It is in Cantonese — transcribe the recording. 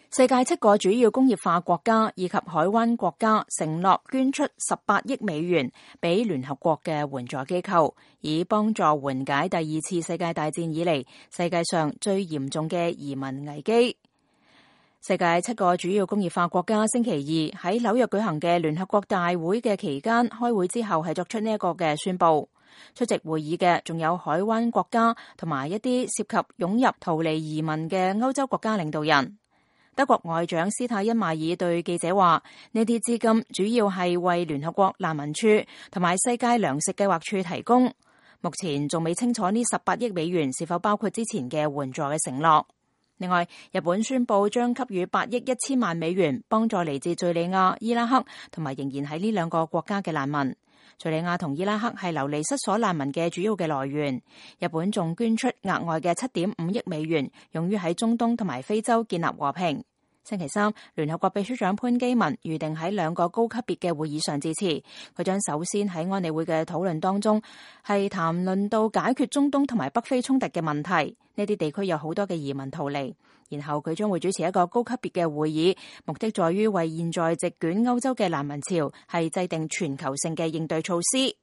世界7個主要工業化國家以及海灣國家承諾捐出18億美元俾聯合國嘅援助機構，以幫助緩解第2次世界大戰以嚟世界上最嚴重嘅移民危機。世界7個主要工業化國家星期二喺紐約舉行嘅聯合國大會嘅期間開會之後係作出呢一個嘅宣佈。出席會議嘅仲有海灣國家同埋一啲涉及湧入逃離移民嘅歐洲國家領導人。德國外長施泰因邁爾對記者話：呢啲資金主要係為聯合國難民署同埋世界糧食計劃處提供，目前仲未清楚呢18億美元是否包括之前嘅援助嘅承諾。另外，日本宣布將給予8億1000萬美元幫助嚟自敘利亞、伊拉克同埋仍然喺呢兩個國家嘅難民。敘利亞同伊拉克係流離失所難民嘅主要嘅來源。日本仲捐出額外嘅7.5億美元，用於喺中東同埋非洲建立和平。星期三，聯合國秘書長潘基文預定喺2個高級別嘅會議上致辭。佢將首先喺安理會嘅討論當中係談論到解決中東同埋北非衝突嘅問題。呢啲地區有好多嘅移民逃離。然後佢將會主持一個高級別嘅會議，目的在於為現在席捲歐洲嘅難民潮係制定全球性嘅應對措施。